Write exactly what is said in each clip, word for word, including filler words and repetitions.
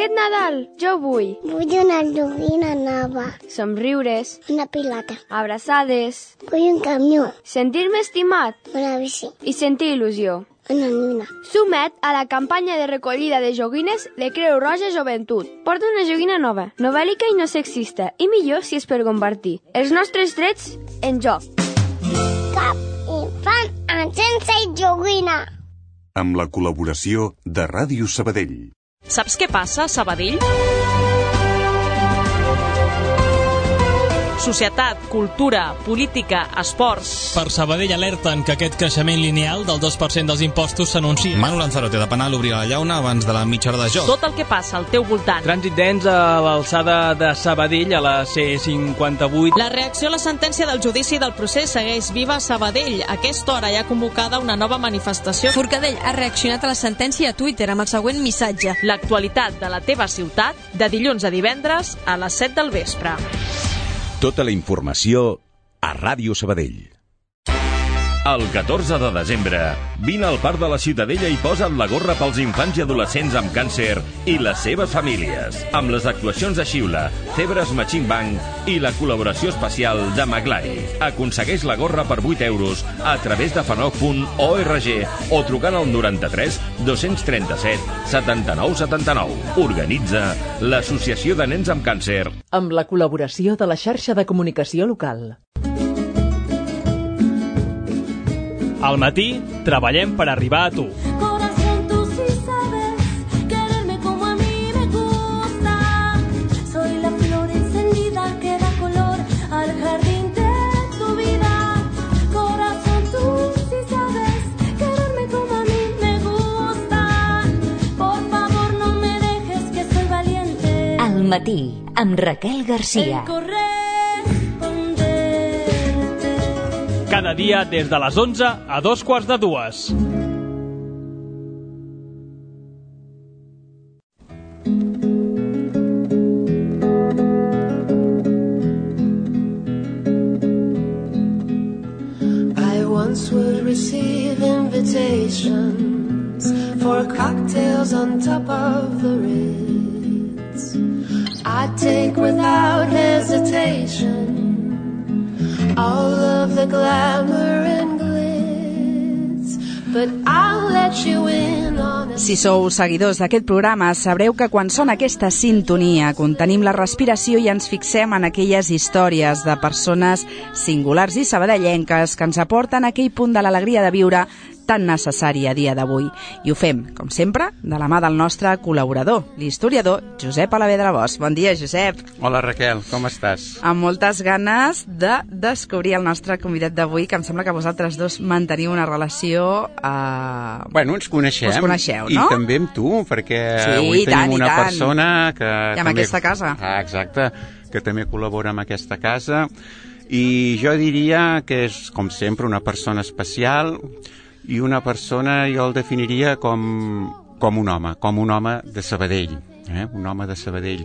Aquest Nadal jo vull Vull una joguina nova. somriures, Una pilota. abraçades, Vull un camió. sentir-me estimat Una bici. i sentir il·lusió. Una nina. Suma't a la campanya de recollida de joguines de Creu Roja Joventut. Porta una joguina nova, novèl·lica i no sexista, i millor si és per compartir. Els nostres drets en joc. Cap infant sense joguina. Amb la col·laboració de Ràdio Sabadell. Saps què passa a Sabadell? Societat, cultura, política, esports... Per Sabadell alerten que aquest creixement lineal del dos per cent dels impostos s'anuncia. Manu Lanzarote de Penal obrirà la llauna abans de la mitja hora de joc. Tot el que passa al teu voltant. Trànsit dens a l'alçada de Sabadell, a la C cinquanta-vuit. La reacció a la sentència del judici del procés segueix viva a Sabadell. A aquesta hora hi ha convocada una nova manifestació. Forcadell ha reaccionat a la sentència a Twitter amb el següent missatge. L'actualitat de la teva ciutat, de dilluns a divendres a les set del vespre. Tota la informació a Ràdio Sabadell. El catorze de desembre, vine al Parc de la Ciutadella i posa't la gorra pels infants i adolescents amb càncer i les seves famílies. Amb les actuacions de Xiula, Cebres Machine Bank i la col·laboració especial de Maglai. Aconsegueix la gorra per vuit euros a través de fanoc punt org o trucant al noranta-tres dos-cents trenta-set setanta-nou setanta-nou. Organitza l'Associació de Nens amb Càncer. Amb la col·laboració de la xarxa de comunicació local. Al matí, treballem per arribar a tu. Corazón, tú sí sabes quererme como a mí me gusta. Soy la flor encendida que da color al jardín de tu vida. Corazón, tú sí sabes quererme como a mí me gusta. Por favor, no me dejes que soy valiente. Al matí, amb Raquel Garcia. Cada dia des de les onze a dos quarts de dues. I once would receive invitations for cocktails on top of the Ritz. I'd take without hesitation all of the glamour and glitz, but I'll let you in on a... Si sou seguidors d'aquest programa, sabreu que quan sona aquesta sintonia contenim la respiració i ens fixem en aquelles històries de persones singulars i sabadellenques que ens aporten aquell punt de l'alegria de viure tan necessari a dia d'avui. I ho fem, com sempre, de la mà del nostre col·laborador, l'historiador Josep Alavedra Bosch. Bon dia, Josep. Hola, Raquel, com estàs? Amb moltes ganes de descobrir el nostre convidat d'avui, que em sembla que vosaltres dos manteniu una relació... Eh... Bueno, ens coneixem. Us coneixeu, I no? també amb tu, perquè sí, avui tenim tant, una tant. persona que... I amb també... aquesta casa. Ah, exacte, que també col·labora amb aquesta casa. I jo diria que és, com sempre, una persona especial... i una persona jo el definiria com, com un home, com un home de Sabadell, eh? un home de Sabadell.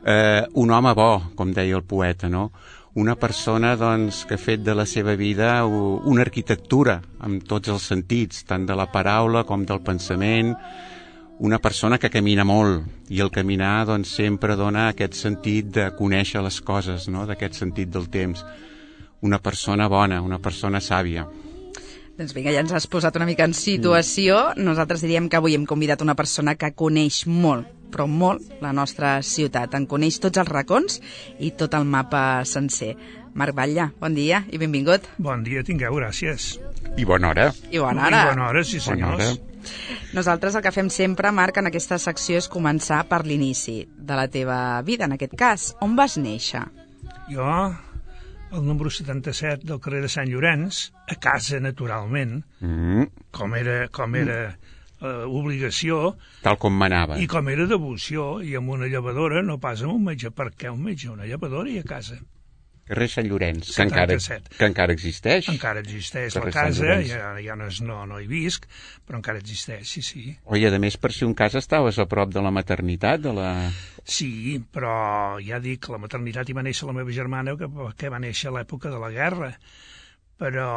Eh, un home bo, com deia el poeta, no? Una persona doncs, que ha fet de la seva vida una arquitectura en tots els sentits, tant de la paraula com del pensament, una persona que camina molt, i el caminar doncs, sempre dona aquest sentit de conèixer les coses, no? D'aquest sentit del temps. Una persona bona, una persona sàvia. Doncs vinga, ja ens has posat una mica en situació. Nosaltres diríem que avui hem convidat una persona que coneix molt, però molt, la nostra ciutat. En coneix tots els racons i tot el mapa sencer. Marc Batlle, bon dia i benvingut. Bon dia, tingueu, gràcies. I bona hora. I bona hora. I bona hora, sí senyors. Nosaltres el que fem sempre, Marc, en aquesta secció és començar per l'inici de la teva vida, en aquest cas. On vas néixer? Jo... el número setanta-set del carrer de Sant Llorenç, a casa, naturalment, mm. com era, com era uh, obligació... Tal com manava. I com era devoció, i amb una llevadora, no pas amb un metge. Per què un metge? Una llevadora i a casa. Carrer Sant Llorenç, que encara, que encara existeix. Encara existeix la casa, ja, ja no, és, no, no hi visc, però encara existeix, sí, sí. Oi, a més, per si un cas estaves a prop de la maternitat, de la... Sí, però ja dic, la maternitat hi va néixer la meva germana, que, que va néixer a l'època de la guerra, però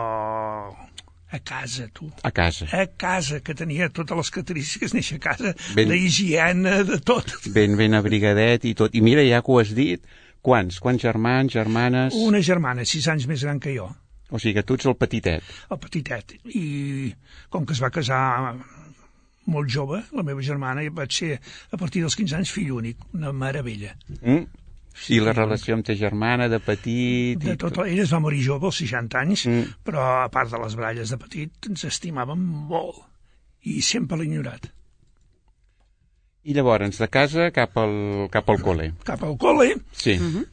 A casa, tu. A casa. A casa, que tenia totes les característiques néixer a casa, ben, d'higiene, de tot. Ben, ben abrigadet i tot. I mira, ja que ho has dit, quants? Quants germans, germanes? Una germana, sis anys més gran que jo. O sigui que tu ets el petitet. El petitet. I com que es va casar molt jove, la meva germana, i vaig ser, a partir dels quinze anys, fill únic, una meravella. Mm. Sí, I la relació amb ta germana, de petit... De tot, ella es va morir jove, als seixanta anys, mm. però a part de les baralles de petit, ens estimàvem molt, i sempre l'he ignorat. I llavors, de casa cap al, cap al col·le. Cap al col·le. Sí. Uh-huh.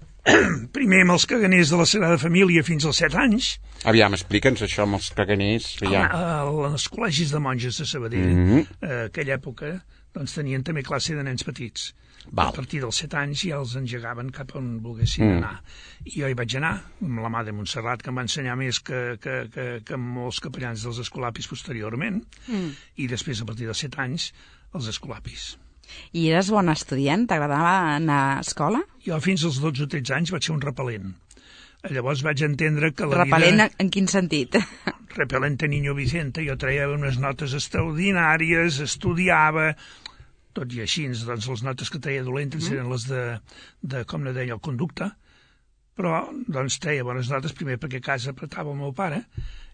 Primer amb els caganers de la Sagrada Família fins als set anys. Aviam, explica'ns això amb els caganers. Ja. Home, els col·legis de monges de Sabadell, mm-hmm. eh, aquella època, doncs tenien també classe de nens petits. Val. A partir dels set anys ja els engegaven cap on volguessin mm. anar. I jo hi vaig anar, amb la mà de Montserrat, que em va ensenyar més que, que, que, que molts capellans dels escolapis posteriorment, mm. i després, a partir dels set anys, els escolapis. I eres bon estudiant? T'agradava anar a escola? Jo fins als dotze o tretze anys vaig ser un repel·lent. Llavors vaig entendre que la repel·lent vida... en quin sentit? Repel·lent a Niño Vicente. Jo traia unes notes extraordinàries, estudiava... Tot i així, doncs, les notes que treia dolentes mm. eren les de, de, com ne deia, el conducte, però, doncs, treia bones notes, primer perquè a casa apretava el meu pare,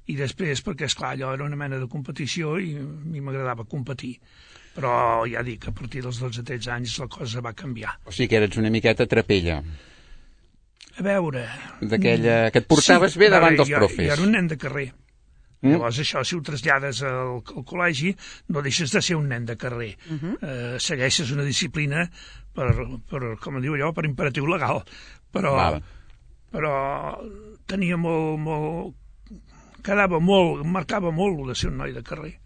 i després perquè, esclar, allò era una mena de competició i a mi m'agradava competir. Però, ja dic, a partir dels dotze o tretze anys la cosa va canviar. O sigui que eres una miqueta trapella. A veure... D'aquella... que et portaves sí, bé davant dels jo, profes. Jo era un nen de carrer. Mm. Llavors, això, si ho trasllades al, al col·legi, no deixes de ser un nen de carrer. Uh -huh. eh, segueixes una disciplina per, per, com diu allò, per imperatiu legal. Però, vale. però tenia molt, molt... quedava molt, marcava molt de ser un noi de carrer.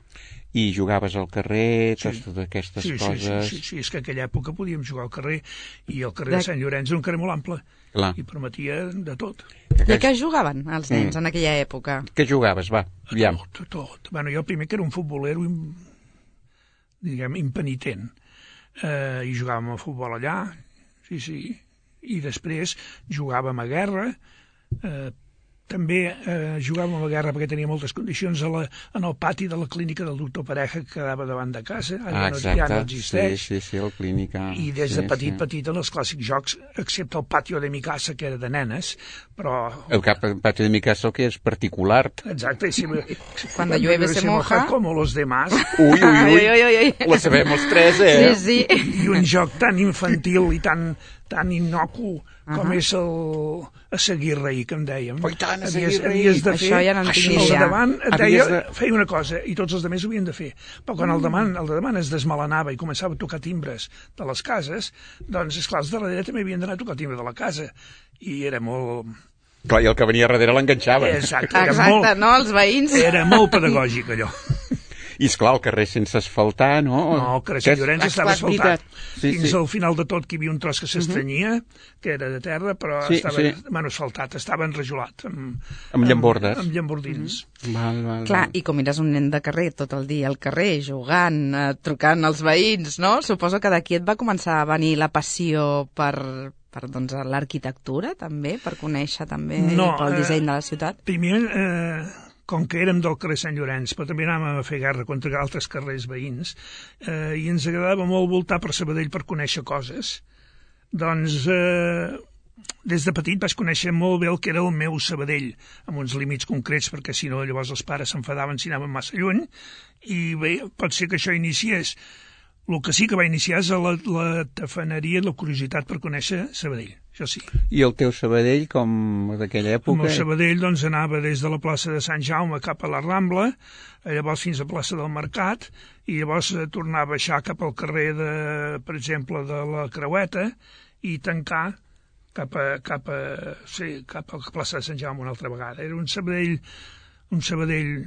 I jugaves al carrer, sí. totes aquestes sí, coses... Sí, sí, sí, és que aquella època podíem jugar al carrer, i el carrer de, de Sant Llorenç era un carrer molt ample, Clar. i permetia de tot. I a què jugaven els nens mm. en aquella època? Què jugaves, va? A tot, a tot. Bueno, jo primer que era un futbolero, diguem, impenitent, eh, i jugàvem a futbol allà, sí, sí, i després jugàvem a guerra, eh, també eh, jugàvem a la guerra perquè tenia moltes condicions a la, en el pati de la clínica del doctor Pareja que quedava davant de casa, ah, no, ja no existeix. Sí, sí, sí, el clínica... I des sí, de petit, sí. petit, en els clàssics jocs, excepte el patio de mi casa, que era de nenes, però... El patio de mi casa que és particular. Exacte, sí. Cuando llueve se moja. Como los demás. Ui, ui, ui, ui, ui, ui. La sabem els tres, eh? Sí, sí. I un joc tan infantil i tan, tan innocu com uh-huh. és el a seguir rei, que em dèiem. Oh, tant, a seguir rei. De fer, això ja no en tinc ja. Davant et deia, de... feia una cosa, i tots els altres ho havien de fer. Però quan mm. el, davant, el de davant es desmelenava i començava a tocar timbres de les cases, doncs, esclar, els de darrere també havien d'anar a tocar timbre de la casa. I era molt... Clar, i el que venia darrere l'enganxava. Exacte, era Exacte, molt, no, els veïns. Era molt pedagògic, allò. I, esclar, el carrer sense asfaltar, no? No, el carrer Sant Llorenç estava asfaltat. Sí, Fins sí. al final de tot que hi havia un tros que s'estrenyia, uh -huh. que era de terra, però sí, estava sí. bueno, asfaltat, estava enrajolat. Amb, amb llambordes. Amb, amb llambordins. Uh -huh. val, val, Clar, val. i com eres un nen de carrer, tot el dia al carrer, jugant, eh, trucant als veïns, no? Suposo que d'aquí et va començar a venir la passió per... per doncs, l'arquitectura, també, per conèixer també no, el disseny eh, de la ciutat? Primer, eh, com que érem del carrer Sant Llorenç, però també anàvem a fer guerra contra altres carrers veïns, eh, i ens agradava molt voltar per Sabadell per conèixer coses, doncs eh, des de petit vaig conèixer molt bé el que era el meu Sabadell, amb uns límits concrets, perquè si no llavors els pares s'enfadaven si anàvem massa lluny, i bé, pot ser que això iniciés. El que sí que va iniciar és la, la tafaneria i la curiositat per conèixer Sabadell, això sí. I el teu Sabadell, com d'aquella època? El meu Sabadell doncs, anava des de la plaça de Sant Jaume cap a la Rambla, llavors fins a la plaça del Mercat, i llavors eh, tornar a baixar cap al carrer, de, per exemple, de la Creueta, i tancar cap a, cap a, sí, cap a la plaça de Sant Jaume una altra vegada. Era un Sabadell... un Sabadell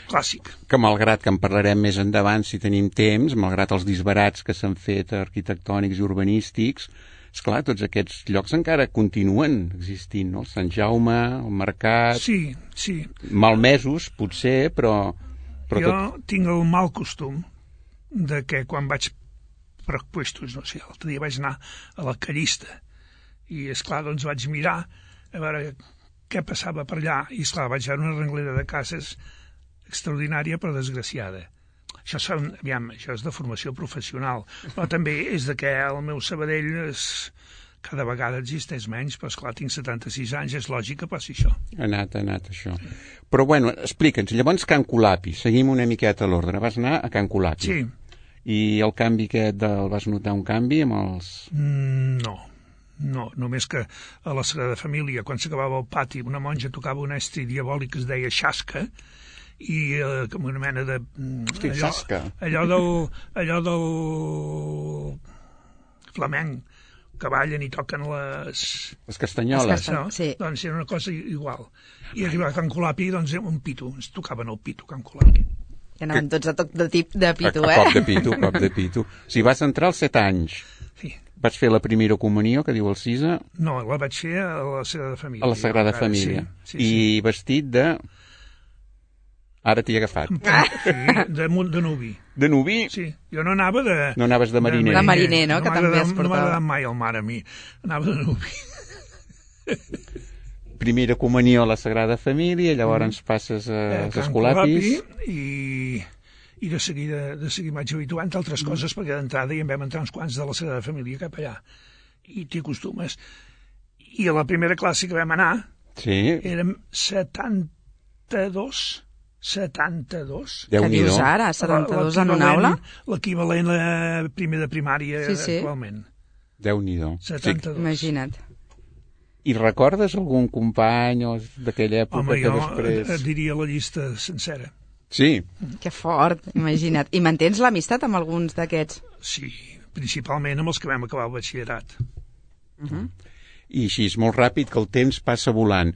clàssic. Que malgrat que en parlarem més endavant si tenim temps, malgrat els disbarats que s'han fet arquitectònics i urbanístics, esclar, tots aquests llocs encara continuen existint, no? El Sant Jaume, el Mercat... Sí, sí. Malmesos, potser, però... però jo tot... tinc el mal costum de que quan vaig per puestos, no sé, l'altre dia vaig anar a la Callista i, esclar, doncs vaig mirar a veure què passava per allà, i esclar, vaig veure una renglera de cases extraordinària però desgraciada. Això, són, aviam, això és de formació professional, però també és de que el meu Sabadell és, cada vegada existeix menys, però esclar, tinc setanta-sis anys, és lògic que passi això. Ha anat, ha anat això. Però bueno, explica'ns, llavors Can Colapi, seguim una miqueta a l'ordre. Vas anar a Can Colapi. Sí. I el canvi aquest, del, vas notar un canvi amb els... Mm, no, no, només que a la Sagrada Família, quan s'acabava el pati, una monja tocava un estri diabòlic que es deia xasca, i eh, com una mena de... Hosti, allò, xasca. Allò del, allò del flamenc, que ballen i toquen les... Les castanyoles. Les castanyoles, sí. Doncs era una cosa igual. I arribava a Can Colapi, doncs un pito, ens tocaven el pito, Can Colapi. Que anaven tots a toc de, tip, de pito, a, eh? A cop de pito, a cop de pito. Si vas entrar als set anys, sí. Vas fer la primera comunió, que diu el Cisa? No, la vaig fer a la Sagrada Família. A la Sagrada Ara, Família. Sí, sí, I sí. vestit de... Ara t'hi he agafat. Sí, de, de nuvi. De nuvi? Sí, jo no anava de... No anaves de mariner. De mariner, no? no que també es portava. No m'ha agradat mai el mar a mi. Anava de nuvi. Primera comunió a la Sagrada Família, llavors mm. passes a, eh, als Escolapis. I, i de seguida, de seguida vaig habituant altres mm. coses, perquè d'entrada hi en vam entrar uns quants de la Sagrada Família cap allà. I t'hi acostumes. I a la primera classe que vam anar, sí. érem setanta-dos... setanta-dos. Què dius ara? setanta-dos en una aula? L'equivalent a primer de primària sí, sí. actualment. Déu-n'hi-do. setanta-dos. Sí. Imagina't. I recordes algun company o d'aquella època Home, que jo després... et diria la llista sencera. Sí. Que fort, imagina't. I mantens l'amistat amb alguns d'aquests? Sí, principalment amb els que vam acabar el batxillerat. Uh -huh. I així, és molt ràpid que el temps passa volant.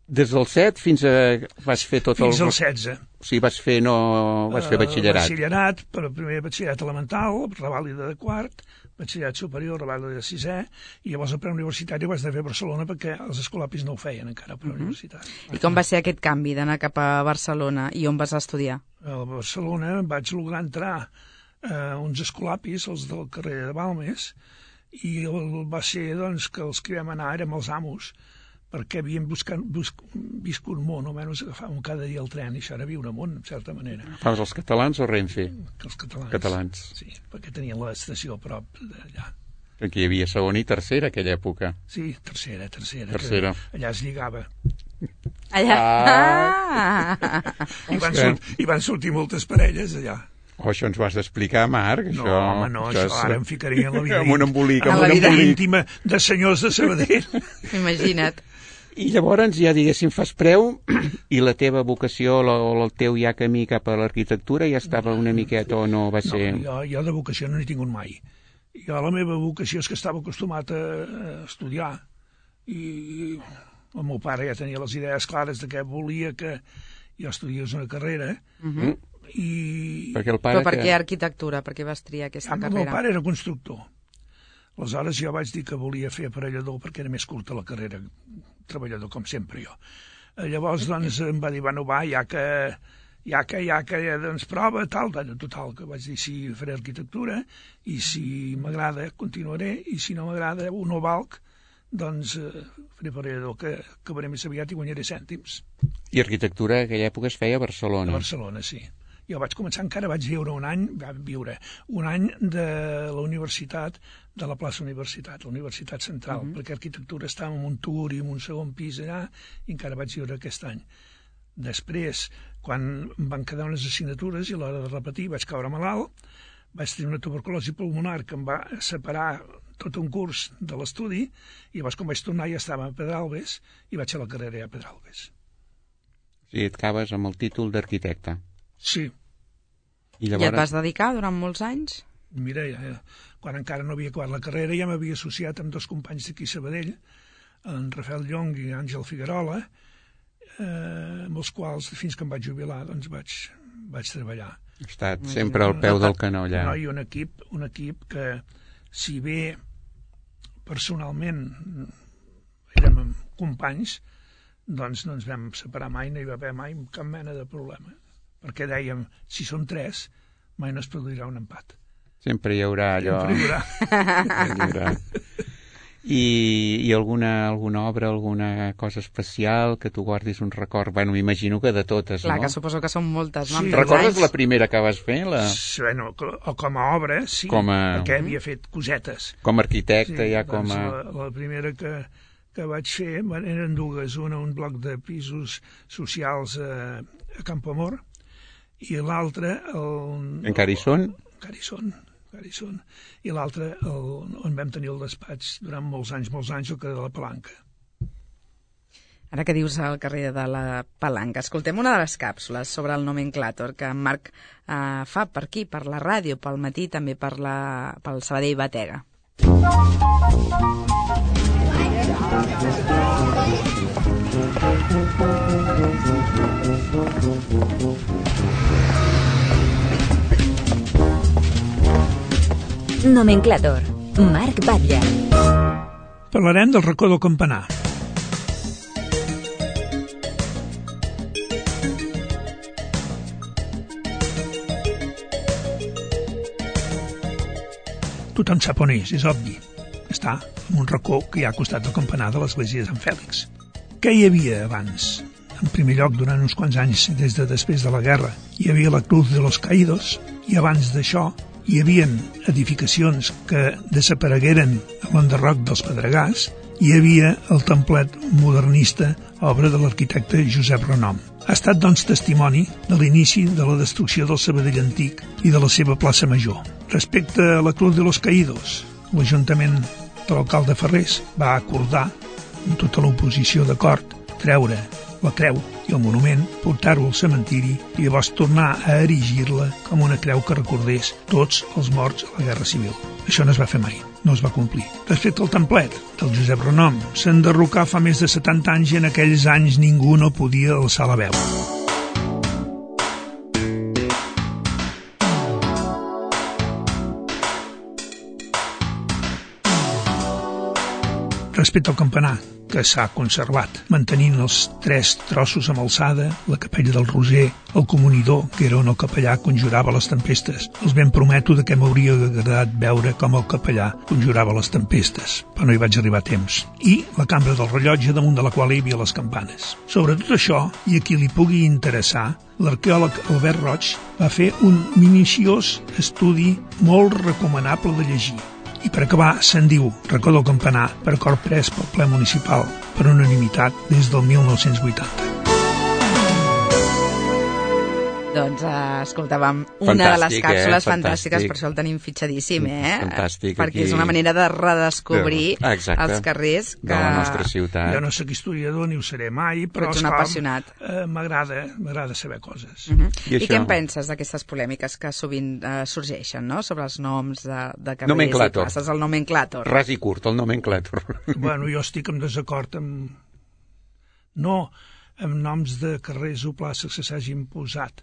Des del set fins a... vas fer tot fins el... al setze. O sigui, vas fer, no... vas fer batxillerat. Uh, batxillerat, però primer batxillerat elemental, revàlida de quart, batxillerat superior, revàlida de sisè, i llavors el preuniversitari ho vas de fer a Barcelona perquè els escolapis no ho feien encara, preuniversitari. Uh -huh. I com va ser aquest canvi d'anar cap a Barcelona i on vas estudiar? A Barcelona vaig lograr entrar a uns escolapis, els del carrer de Balmes, i el, va ser doncs, que els que vam anar érem els amos, perquè havíem buscat, busc, viscut món, almenys agafàvem cada dia el tren, i això era viure món, en certa manera. Fas els catalans o Renfe? Els catalans. Catalans. Sí, perquè tenien l'estació a prop d'allà. Aquí hi havia segona i tercera, aquella època. Sí, tercera, tercera. Tercera. Allà es lligava. Allà? Ah! I, van sort, I van sortir moltes parelles allà. Oh, això ens ho has d'explicar, Marc. No, això, home, no, això, això ara em ficaria en la vida, amb un embolic, amb un la vida embolic. íntima de senyors de Sabadell. Imagina't. I llavors ja, diguéssim, fas preu i la teva vocació o el teu ja camí cap a l'arquitectura ja estava una miqueta o no va ser... No, jo, jo de vocació no n'he tingut mai. Jo la meva vocació és que estava acostumat a, a estudiar i el meu pare ja tenia les idees clares de què volia que jo estudiés una carrera. Uh -huh. I... Perquè el pare Però per que... què arquitectura? Per què vas triar aquesta ah, carrera? El meu pare era constructor. Aleshores jo vaig dir que volia fer aparellador perquè era més curta la carrera, treballador com sempre jo. Llavors doncs em va dir, bueno va, ja que ja que, ja que, doncs prova, tal, total, que vaig dir sí, faré arquitectura, i si m'agrada continuaré, i si no m'agrada o no valc, doncs eh, faré aparellador, que acabaré més aviat i guanyaré cèntims. I arquitectura en aquella època es feia a Barcelona. A Barcelona, sí. Jo vaig començar, encara vaig viure un any, vaig viure un any de la universitat, de la plaça Universitat, la Universitat Central, uh -huh. perquè arquitectura estava en un tour i en un segon pis allà, i encara vaig viure aquest any. Després, quan em van quedar unes assignatures i a l'hora de repetir vaig caure malalt, vaig tenir una tuberculosi pulmonar que em va separar tot un curs de l'estudi, i llavors quan vaig tornar ja estava a Pedralbes i vaig a la carrera ja a Pedralbes. Sí, et acabes amb el títol d'arquitecte. Sí. I, llavors... I et vas dedicar durant molts anys? Mira, ja, quan encara no havia acabat la carrera ja m'havia associat amb dos companys d'aquí a Sabadell, en Rafael Llong i Àngel Figuerola, eh, amb els quals fins que em vaig jubilar doncs vaig, vaig treballar. Ha estat sempre al peu del canó allà. No, i un equip, un equip que, si bé personalment érem companys, doncs no ens vam separar mai, no hi va haver mai cap mena de problema. Perquè dèiem, si són tres, mai no es produirà un empat. Sempre hi haurà allò... Sempre hi haurà. hi haurà. I, i alguna, alguna obra, alguna cosa especial que tu guardis un record? Bueno, m'imagino que de totes, Clar, no? que suposo que són moltes, no? Sí, recordes la primera que vas fer? La... Sí, bueno, o com a obra, sí, com a... perquè havia fet cosetes. Com a arquitecte, sí, ja com a... La, la primera que, que vaig fer bueno, eren dues, una un bloc de pisos socials a, a Campoamor i l'altra... El, Encara hi són? Encara hi són. hi són. I l'altre, on vam tenir el despatx durant molts anys, molts anys, el carrer de la Palanca. Ara que dius al carrer de la Palanca, escoltem una de les càpsules sobre el nomenclàtor que en Marc eh, fa per aquí, per la ràdio, pel matí, també per la, pel Sabadell Batega. Nomenclàtor, Marc Batlle. Parlarem del racó del Campanar. Tothom sap on és, és obvi. Està en un racó que hi ha al costat del campanar de l'església de Sant Fèlix. Què hi havia abans? En primer lloc, durant uns quants anys, des de després de la guerra, hi havia la Cruz de los Caídos, i abans d'això hi havia edificacions que desaparegueren a l'enderroc dels Pedregars, hi havia el templet modernista, obra de l'arquitecte Josep Renom. Ha estat, doncs, testimoni de l'inici de la destrucció del Sabadell antic i de la seva plaça Major. Respecte a la Cruz de los Caídos, l'Ajuntament de l'alcalde Ferrés va acordar, amb tota l'oposició d'acord, treure la creu i el monument, portar-ho al cementiri i llavors tornar a erigir-la com una creu que recordés tots els morts a la Guerra Civil. Això no es va fer mai, no es va complir. Respecte al templet del Josep Renom, s'enderrocà fa més de setanta anys i en aquells anys ningú no podia alçar la veu. Respecte al campanar, que s'ha conservat, mantenint els tres trossos amb alçada, la capella del Roser, el comunidor, que era on el capellà conjurava les tempestes. Els ben prometo que m'hauria agradat veure com el capellà conjurava les tempestes, però no hi vaig arribar a temps. I la cambra del rellotge, damunt de la qual hi havia les campanes. Sobre tot això, i a qui li pugui interessar, l'arqueòleg Albert Roig va fer un minutiós estudi molt recomanable de llegir. I per acabar, se'n diu Racó del Campanar, per acord pres pel ple municipal per unanimitat des del mil nou-cents vuitanta. Doncs uh, escoltàvem una fantàstic, de les càpsules eh? fantàstiques, Fantàstic. per això el tenim fitxadíssim, eh? Fantàstic. Perquè aquí... és una manera de redescobrir Exacte. els carrers que... de la nostra ciutat. Jo no soc historiador ni ho seré mai, però, però ets un apassionat. Eh, m'agrada, m'agrada saber coses. Uh -huh. I, I, I això... què en penses d'aquestes polèmiques que sovint eh, sorgeixen, no?, sobre els noms de, de carrers nomenclàtor. i places, el nomenclàtor. Ras i curt, el nomenclàtor. Bueno, jo estic en desacord amb... no amb noms de carrers o places que s'hagin posat,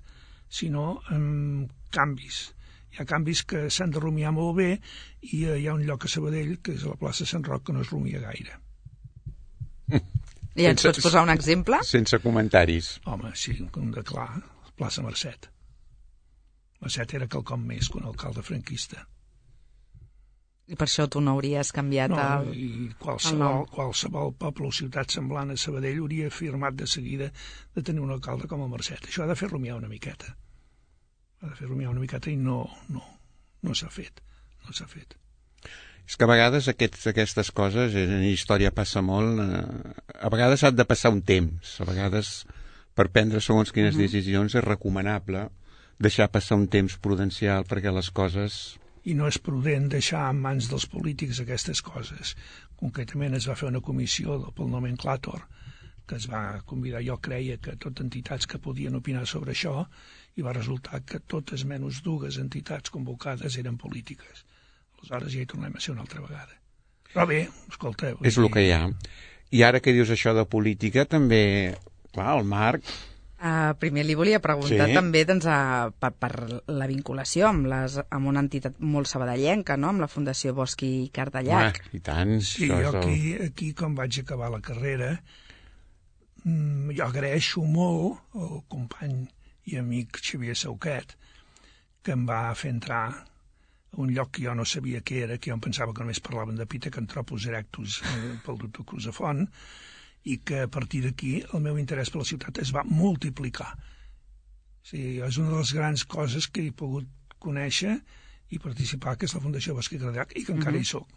sinó amb canvis. Hi ha canvis que s'han de rumiar molt bé i hi ha un lloc a Sabadell, que és a la plaça Sant Roc, que no es rumia gaire. I ens pots posar un exemple? Sense comentaris. Home, sí, com de clar, plaça Mercet. Mercet era quelcom més que un alcalde franquista. I per això tu no hauries canviat no, el, i el qualsevol, nom? qualsevol poble o ciutat semblant a Sabadell hauria afirmat de seguida de tenir un alcalde com el Mercet. Això ha de fer rumiar una miqueta. Ha de fer rumiar una miqueta i no, no, no s'ha fet. No s'ha fet. És que a vegades aquests, aquestes coses, en història passa molt, eh, a vegades ha de passar un temps, a vegades per prendre segons quines uh-huh. decisions és recomanable deixar passar un temps prudencial perquè les coses... I no és prudent deixar en mans dels polítics aquestes coses. Concretament es va fer una comissió pel nomenclàtor que es va convidar, jo creia que totes entitats que podien opinar sobre això, i va resultar que totes menys dues entitats convocades eren polítiques. Aleshores ja hi tornem a ser una altra vegada. Però bé, escolta... És el que hi ha. I ara que dius això de política, també, clar, el Marc... Uh, primer li volia preguntar sí. també doncs, uh, per, per la vinculació amb, les, amb una entitat molt sabadellenca, no?, amb la Fundació Bosch i Cardellac. Ah, I tant. Sí, jo aquí, aquí, quan vaig acabar la carrera, mmm, jo agraeixo molt al company i amic Xavier Sauquet, que em va fer entrar un lloc que jo no sabia què era, que jo em pensava que només parlaven de Pithecanthropus erectus eh, pel doctor Cruzafont, i que a partir d'aquí el meu interès per la ciutat es va multiplicar. Sí, és una de les grans coses que he pogut conèixer i participar, que és la Fundació Bosc i Cardellac, i que encara Mhm. hi soc.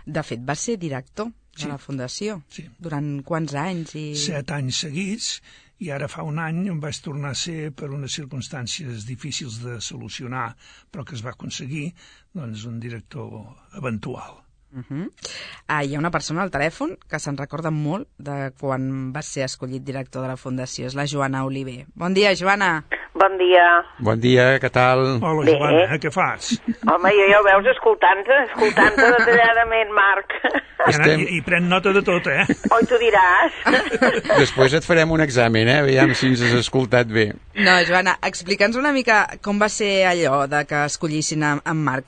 De fet, va ser director de Sí. la Fundació. Sí. Durant quants anys? I... Set anys seguits, i ara fa un any em vaig tornar a ser, per unes circumstàncies difícils de solucionar, però que es va aconseguir, doncs un director eventual. Uh -huh. ah, hi ha una persona al telèfon que se'n recorda molt de quan va ser escollit director de la Fundació, és la Joana Oliver. Bon dia, Joana. Bon dia. Bon dia, què tal? Hola, Bé. Joana, què fas? Home, jo ja ho veus escoltant-te, escoltant-te detalladament, Marc. I, Estem... i, I pren nota de tot, eh? Oi, tu diràs. Després et farem un examen, eh? Aviam si ens has escoltat bé. No, Joana, explica'ns una mica com va ser allò de que escollissin en, en Marc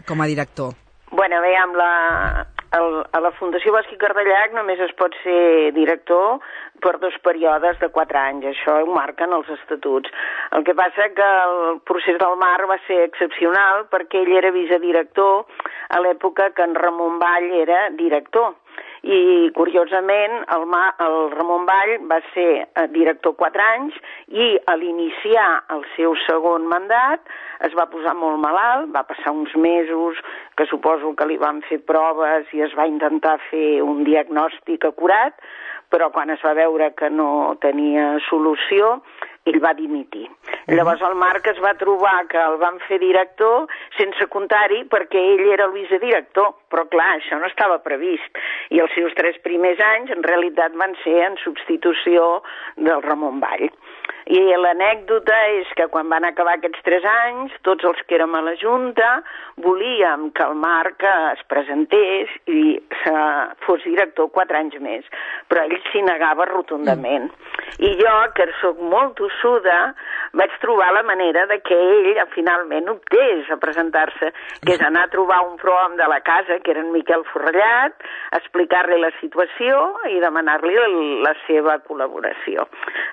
com a director. Bueno, bé, amb la, el, a la Fundació Bosc i Cardellac només es pot ser director per dos períodes de quatre anys. Això ho marquen els estatuts. El que passa que el procés del Marc va ser excepcional perquè ell era vicedirector a l'època que en Ramon Vall era director. I, curiosament, el, Ma, el Ramon Vall va ser director quatre anys i a l'iniciar el seu segon mandat es va posar molt malalt, va passar uns mesos que suposo que li van fer proves i es va intentar fer un diagnòstic acurat, però quan es va veure que no tenia solució, ell va dimitir. Uh-huh. Llavors el Marc es va trobar que el van fer director sense comptar-hi perquè ell era el vicedirector, però clar, això no estava previst. I els seus tres primers anys en realitat van ser en substitució del Ramon Vall. I l'anècdota és que quan van acabar aquests tres anys, tots els que érem a la Junta volíem que el Marc es presentés i fos director quatre anys més, però ell s'hi negava rotundament. I jo, que sóc molt tossuda, vaig trobar la manera de que ell finalment optés a presentar-se, que és anar a trobar un prohom de la casa, que era en Miquel Forrellat, explicar-li la situació i demanar-li la seva col·laboració.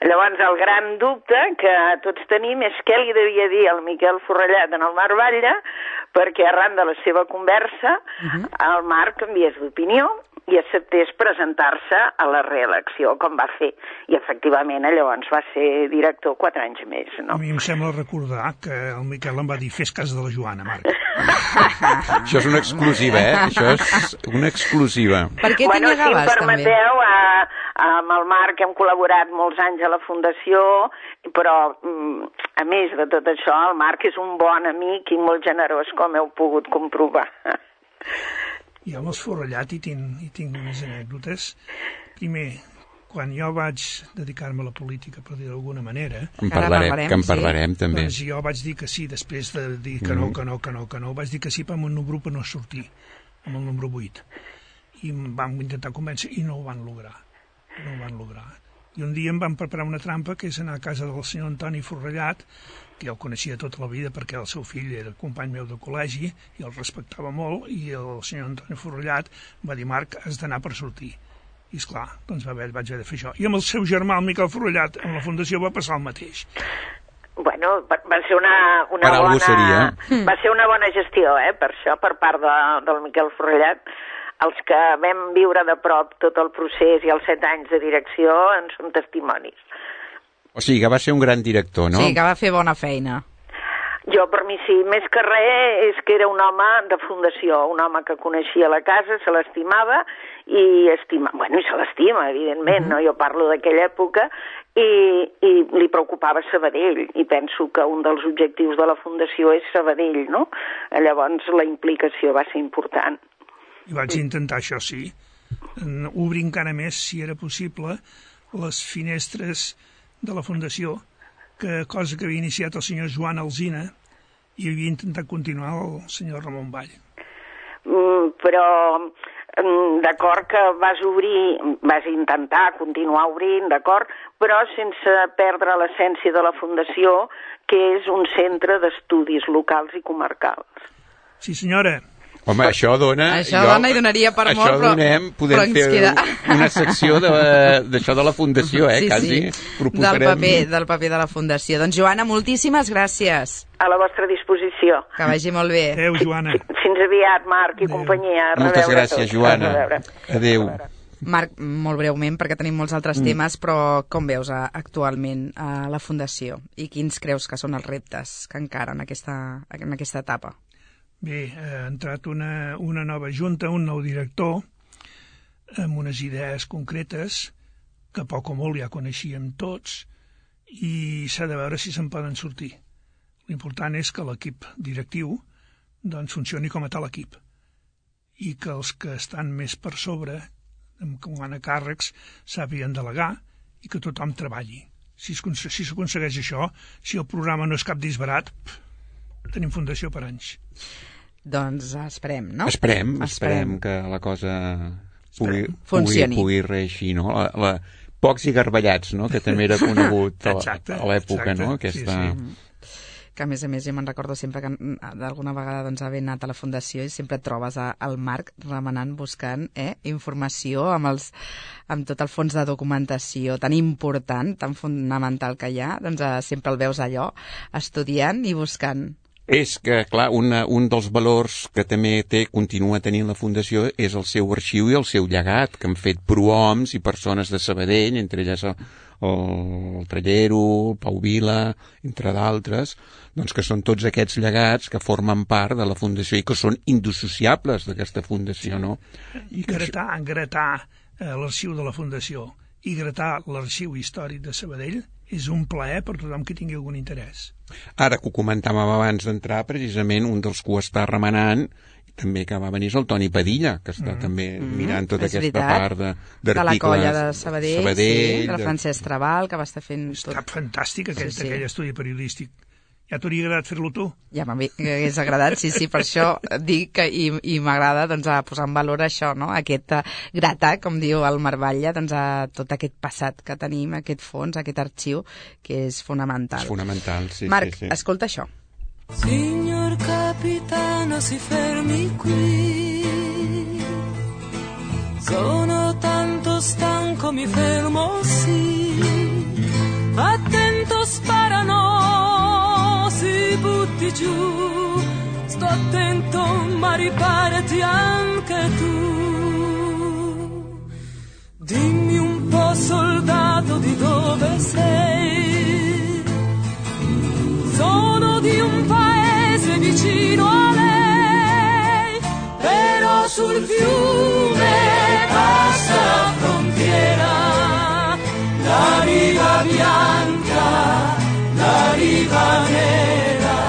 Llavors, el gran dubte que tots tenim és què li devia dir el Miquel Forrellat en el Marc Batlle, perquè arran de la seva conversa uh-huh. el Marc canviés d'opinió i acceptés presentar-se a la reelecció, com va fer. I, efectivament, llavors va ser director quatre anys més, no? A mi em sembla recordar que el Miquel em va dir fes cas de la Joana, Marc. Això és una exclusiva, eh? Això és una exclusiva. Per què bueno, t'hi negaves, si em permeteu, a, amb el Marc hem col·laborat molts anys a la Fundació, però, a més de tot això, el Marc és un bon amic i molt generós, com heu pogut comprovar. I amb els Forrellat hi tinc, hi tinc unes anècdotes. Primer, quan jo vaig dedicar-me a la política, per dir d'alguna manera... En parlarem, que en parlarem, sí. També. Doncs jo vaig dir que sí, després de dir que no, que no, que no, que no, vaig dir que sí, però amb el número per no sortir, amb el número vuit. I em vam intentar convèncer i no ho van lograr. No ho van lograr. I un dia em van preparar una trampa, que és anar a casa del senyor Antoni Forrellat, que jo el coneixia tota la vida perquè el seu fill era company meu de col·legi i el respectava molt, i el senyor Antoni Forrellat va dir, Marc, has d'anar per sortir. I esclar, doncs va haver, vaig haver de fer això. I amb el seu germà, el Miquel Forrellat, amb la Fundació va passar el mateix. Bueno, va, va ser una, una per bona... Seria. Va ser una bona gestió, eh, per això, per part de, del Miquel Forrellat. Els que vam viure de prop tot el procés i els set anys de direcció en són testimonis. O sigui, que va ser un gran director, no? Sí, que va fer bona feina. Jo, per mi sí, més que res és que era un home de fundació, un home que coneixia la casa, se l'estimava i estima, bueno, i se l'estima, evidentment, uh-huh. no? Jo parlo d'aquella època i, i li preocupava Sabadell i penso que un dels objectius de la fundació és Sabadell, no? Llavors la implicació va ser important. I vaig intentar, això sí, obrir encara més, si era possible, les finestres de la Fundació, que cosa que havia iniciat el senyor Joan Alsina i havia intentat continuar el senyor Ramon Vall. Mm, però mm, d'acord que vas obrir, vas intentar continuar obrint, d'acord, però sense perdre l'essència de la Fundació, que és un centre d'estudis locals i comarcals. Sí, senyora. Home, això dona... Això jo, dona i donaria per això molt, però, donem, podem però ens fer queda... una secció d'això de, de la Fundació, eh? Sí, Quasi sí, proposarem... del paper, del paper de la Fundació. Doncs, Joana, moltíssimes gràcies. A la vostra disposició. Que vagi molt bé. Adéu, Joana. Fins aviat, Marc i companyia. Moltes gràcies, Joana. Adéu. Marc, molt breument, perquè tenim molts altres mm. temes, però com veus a, actualment a la Fundació i quins creus que són els reptes que encara en aquesta, en aquesta etapa? Bé, ha entrat una, una nova junta, un nou director, amb unes idees concretes que poc o molt ja coneixíem tots i s'ha de veure si se'n poden sortir. L'important és que l'equip directiu doncs, funcioni com a tal equip i que els que estan més per sobre com a càrrecs sàpiguen delegar i que tothom treballi. Si s'aconsegueix si això, si el programa no és cap disbarat, pff, tenim Fundació per anys. Doncs esperem, no? Esperem, esperem, esperem que la cosa pugui, pugui, pugui reeixir, no? La, la, pocs i garballats, no? Que també era conegut a, a l'època, no? Aquesta... Sí, sí. Que a més a més jo me'n recordo sempre que d'alguna vegada doncs, haver anat a la Fundació i sempre et trobes al Marc remenant, buscant eh, informació amb, els, amb tot el fons de documentació tan important, tan fonamental que hi ha, doncs eh, sempre el veus allò, estudiant i buscant. És que, clar, una, un dels valors que també té, continua tenint la Fundació és el seu arxiu i el seu llegat, que han fet prohoms i persones de Sabadell, entre elles el, el Trallero, el Pau Vila, entre d'altres, doncs que són tots aquests llegats que formen part de la Fundació i que són indissociables d'aquesta Fundació, no? I gratar, això... gratar eh, l'arxiu de la Fundació i gratar l'arxiu històric de Sabadell és un plaer per tothom que tingui algun interès. Ara que ho comentàvem abans d'entrar, precisament un dels que ho està remenant també que va venir és el Toni Padilla, que està mm. també mirant tota és aquesta veritat. part d'articles. De la colla de Sabadell, Sabadell sí, del Francesc Trabal, que va estar fent... Tot... Està fantàstic aquest, sí, sí. aquell estudi periodístic. Ja t'hauria agradat fer-lo tu? Ja m'hagués agradat, sí, sí, per això dic que i, i m'agrada doncs, a posar en valor això, no? Aquest uh, gratar, com diu el Marc Batlle, doncs, a tot aquest passat que tenim, aquest fons, aquest arxiu, que és fonamental. És fonamental, sí, Marc, sí, sí. escolta això. Signor capitano, si fermi qui. Sono tanto stanco, mi fermo, sì. Attento, sparano, si butti giù. Sto attento, ma riparati anche tu. Dimmi un po', soldato, di dove sei. Sono di un paese vicino a lei, però sul fiume passa la frontiera, la riva bianca, la riva nera,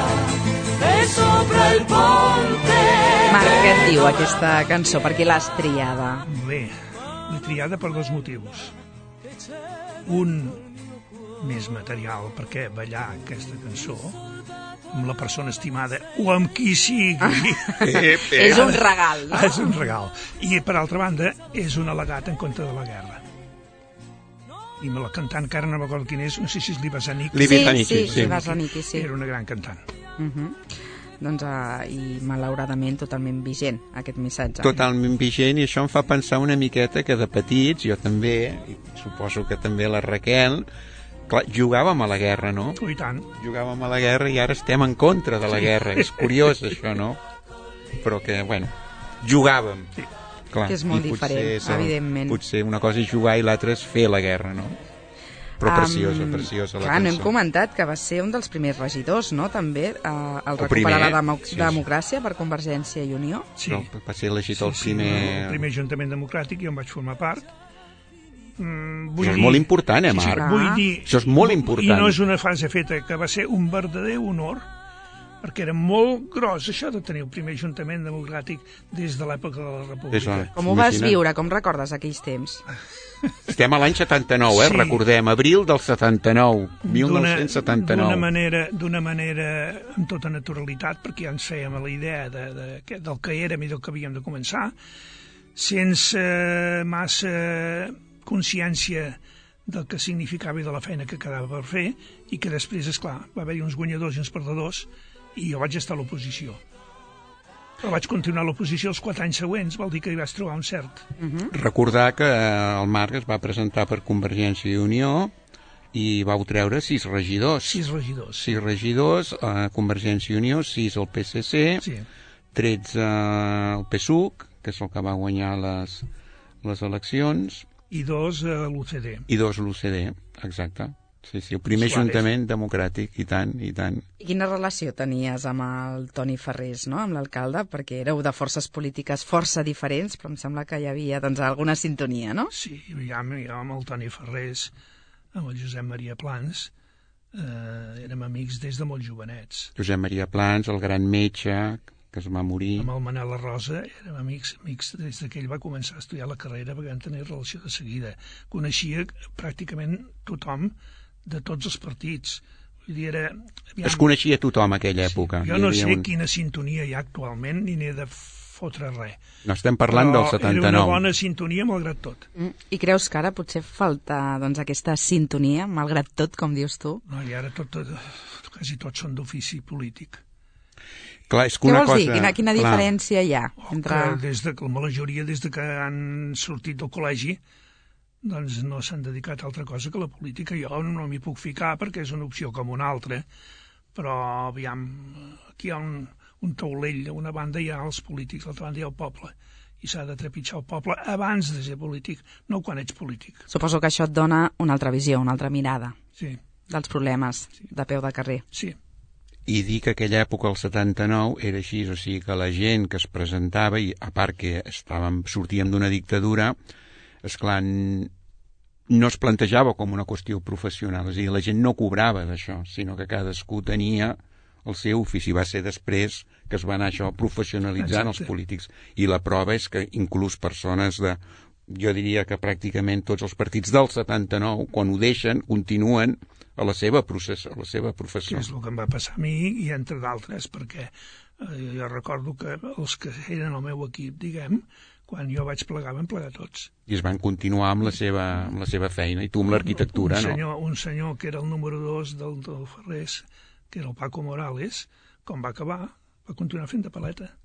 e sopra il ponte... Marc, què et diu aquesta cançó? Per què l'has triada? Bé, l'he triada per dos motius. Un... més material, perquè ballar aquesta cançó amb la persona estimada o amb qui sigui eh, eh. és un regal, no? És un regal. I per altra banda és un al·legat en contra de la guerra. I me la cantant, que ara no recordo quin és, no sé si és Libasanic. Libasanic, sí, sí, sí. Libasanic, sí. Era una gran cantant. Uh -huh. Doncs, uh, i malauradament totalment vigent aquest missatge. Totalment vigent, i això em fa pensar una miqueta que de petits, jo també, i suposo que també la Raquel, clar, jugàvem a la guerra, no? I tant. Jugàvem a la guerra i ara estem en contra de la sí. guerra. És curiós, això, no? Però que, bueno, jugàvem. Sí. Clar, que és molt diferent, és, evidentment. Potser una cosa és jugar i l'altra és fer la guerra, no? Però preciosa, um, preciosa la clar, cançó. No hem comentat que va ser un dels primers regidors, no?, també, uh, el recuperar primer, la demo sí, democràcia per Convergència i Unió. Sí. No, va ser elegit sí, el primer... Sí, el primer Ajuntament Democràtic, jo en vaig formar part. Mm, vull Això dir... és molt important, eh, Marc? Sí, sí, vull dir... Això és molt important. I no és una frase feta, que va ser un verdader honor, perquè era molt gros això de tenir el primer Ajuntament Democràtic des de l'època de la República. Això, com ho vas viure? Com recordes aquells temps? Estem a l'any setanta-nou, eh? Sí. Recordem, abril del setanta-nou, mil nou-cents setanta-nou. D'una manera, d'una manera amb tota naturalitat, perquè ja ens fèiem a la idea de, de, de, del que érem i del que havíem de començar, sense massa consciència del que significava i de la feina que quedava per fer, i que després, esclar, va haver-hi uns guanyadors i uns perdedors, i jo vaig estar a l'oposició. Però vaig continuar a l'oposició els quatre anys següents, vol dir que hi vaig trobar un cert. Uh-huh. Recordar que el Marc es va presentar per Convergència i Unió i vau treure sis regidors. Sis regidors. Sis regidors, a Convergència i Unió, sis al P S C, sí. tretze al P S U C, que és el que va guanyar les, les eleccions. I dos a l'U C D. I dos a l'U C D, exacte. Sí, sí, el primer Suárez. ajuntament democràtic, i tant, i tant. I quina relació tenies amb el Toni Ferrés, no?, amb l'alcalde? Perquè éreu de forces polítiques força diferents, però em sembla que hi havia doncs, alguna sintonia, no? Sí, ja, ja amb el Toni Ferrés, amb el Josep Maria Plans, eh, érem amics des de molt jovenets. Josep Maria Plans, el gran metge, que es va morir. Amb el Manel Arrosa érem amics, amics des que ell va començar a estudiar la carrera, perquè vam tenir relació de seguida. Coneixia pràcticament tothom de tots els partits. Vull dir, era... Aviam, es coneixia tothom a aquella època. Jo no sé un... quina sintonia hi ha actualment, ni n'he de fotre res. No estem parlant però del setanta-nou. Era una bona sintonia, malgrat tot. Mm. I creus que ara potser falta doncs, aquesta sintonia, malgrat tot, com dius tu? No, i ara tot, tot, quasi tots són d'ofici polític. Clar, és que Què una vols cosa... dir? Quina, quina diferència hi ha? Oh, entre... Des de, la majoria, des de que han sortit del col·legi, doncs no s'han dedicat a altra cosa que la política. Jo no m'hi puc ficar perquè és una opció com una altra, però aviam, aquí hi ha un, un taulell, a una banda hi ha els polítics, a l'altra banda hi ha el poble, i s'ha de trepitjar el poble abans de ser polític, no quan ets polític. Suposo que això et dona una altra visió, una altra mirada sí. dels problemes sí. de peu de carrer. Sí. I dir que aquella època, el setanta-nou, era així, o sigui que la gent que es presentava, i a part que estàvem, sortíem d'una dictadura, esclar, no es plantejava com una qüestió professional, és a dir, la gent no cobrava d'això, sinó que cadascú tenia el seu ofici. Va ser després que es va anar això professionalitzant els polítics. I la prova és que inclús persones de, jo diria que pràcticament tots els partits del setanta-nou, quan ho deixen, continuen a la seva procés, a la seva professió. Que és el que em va passar a mi, i entre d'altres, perquè eh, jo recordo que els que eren el meu equip, diguem, quan jo vaig plegar, van plegar tots. I es van continuar amb la seva, amb la seva feina, i tu amb l'arquitectura, un senyor, no? Un senyor que era el número dos del, del Ferrés, que era el Paco Morales, com va acabar, va continuar fent de paleta.